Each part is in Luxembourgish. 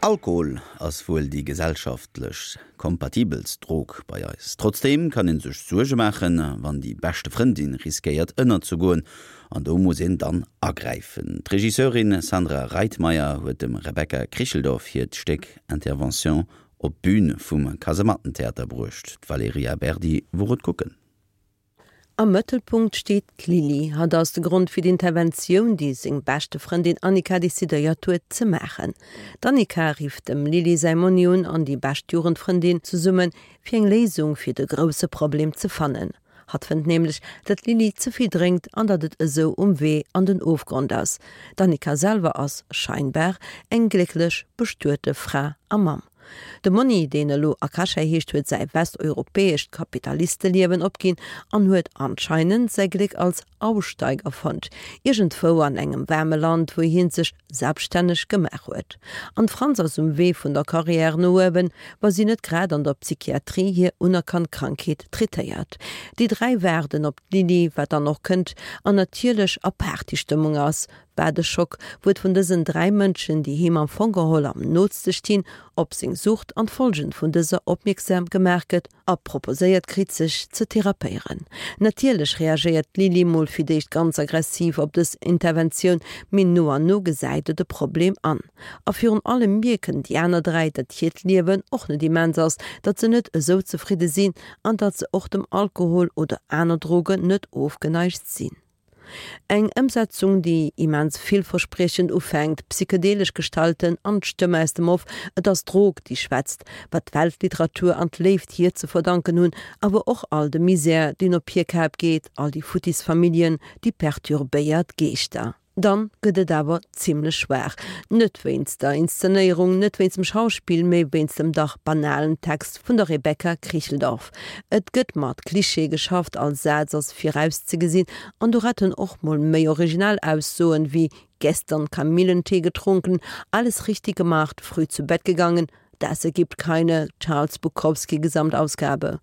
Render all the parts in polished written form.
Alkohol ass wuel déi gesellschaftlech kompatibelst Drog bei eis. Trotzdeem kann een sech Suerge maachen, wann déi beschte Frëndin riskéiert ënnerzegoen. An do muss een dann agräifen. D'Regisseurin Sandra Reitmeier huet dem Rebecca Kricheldorf hiert Stéck Intervention op d'Bün vum Kasemattentheater bruecht. D'Valerija Berdi wor et kucken. Am Mëttelpunkt steet d'Lili. Hatt ass de Grond fir d'Interventioun, déi seng beschte Frëndin Annika decidéiert huet ze maachen. D'Annika rifft dem Lili säi Monni un an déi bescht Jugendfrëndin zesumme fir eng Léisung fir de grousse Problem ze fannen. Hatt fënnt nämlech, datt d'Lili ze vill drénkt an datt et esou um Wee an den Ofgrond ass. D'Annika selwer ass, scheinbar, eng glécklech bestuete Fra a Mamm. De Monni, deen elo Akasha heescht, huet säi westeuropäescht Kapitalisteliewen opginn an huet anscheinend säi Gléck als Aussteiger fonnt, iergendwou an engem waarme Land, wou hien sech selbststänneg gemaach huet. An d'Franz ass um Wee vun der Carrière no uewen, wa si net grad an der Psychiatrie hir unerkannt Krankheet traitéiert. Déi 3 waarden op d'Lili, wat dann och kënnt an natierlech a Partystëmmung ass, Wat e Schock, wou et vun dësen 3 Mënschen, déi him am Fong geholl am nootste stinn, op seng Sucht an d'Folgen vun dëser opmierksam gemaach gëtt a proposéiert kritt, sech ze therapéieren. Natierlech reagéiert d'Lili mol fir d'éischt ganz aggressiv op dës Interventioun, mee no an no gesäit et e Problem an. A virun allem mierken déi aner 3, datt hiert Liewen och net immens ass, datt se net esou zefridde sinn an datt se och dem Alkohol oder aner Drogen net ofgeneigt sinn. Eng Ëmsetzung, déi immens villverspriechend ufänkt, psychedelesch Gestalten an d'Stëmm aus dem Off, et ass d'Drog, déi schwätzt, wat d'Weltliteratur an d'Léift hir ze verdanken hunn, awer och all de Misär, deen op hir Kap geet, all déi futtis Familljen, déi perturbéiert Geeschter. Dann gëtt et awer zimlech schwaach. Net wéinst der Inszenéierung, net wéinst dem Schauspill, mee wéinst dem dach banalen Text vun der Rebecca Kricheldorf. Et gëtt mat Klischeeë geschafft, all Saz ass virauszegesinn an do retten och mol méi originell Aussoen wéi gestern Kamillentee getrunken, alles richtig gemacht, früh zu Bett gegangen, Das ergibt keine Charles Bukowski Gesamtausgabe.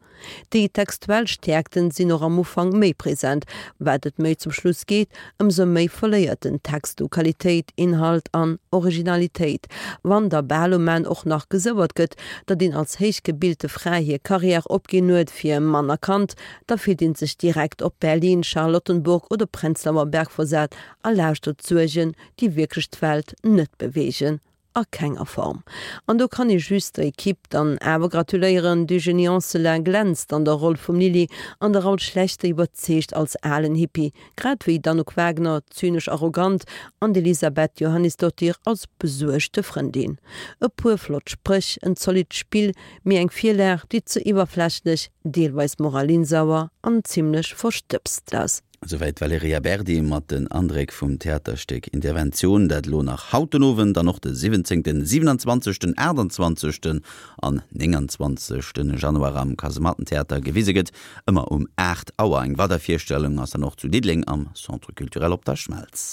Déi textuell Stäerkten sinn och am Ufank méi present, wat et méi zum Schluss geet, ëmsou méi verléiert den Text u Qualitéit, Inhalt an Originalitéit. Wann da bal um Enn och nach gesouert gëtt, datt een als héichgebilte Fra hir Carrière opginn huet fir Mann a Kand, da fillt een sech direkt op Berlin, Charlottenburg oder Prenzlauer Berg versat a lauschtert Suergen, déi wierklech d'Welt net beweegen. A kenger Form. An do kann ee just der Equipe dann awer gratuléieren, D'Eugénie Anselin glänzt an der Roll vum Lili an de Raoul Schlechter iwwerzeegt als alen Hippie, grad wéi d'Anouk Wagner, zynesch arrogant, an d'Elisabeth Johannisdottir als besuergte Frëndin. E puer flott Spréch, en zolidd Spill, mee eng Virlag, déi ze iwwerflächlech, deelweis moralinsauer an zimlech verstëbst ass. Esouwäit d'Valerija Berdi mat den Andréck vum Theaterstéck Intervention, dat elo nach haut den Owend an och de 17., 27., 28. An 29. Januar am Kasemattentheater gewise gëtt, ëmmer um 8 Auer. Eng weider Virstellung ass dann och zu Diddeleng am Centre Culturel Op der Schmelz.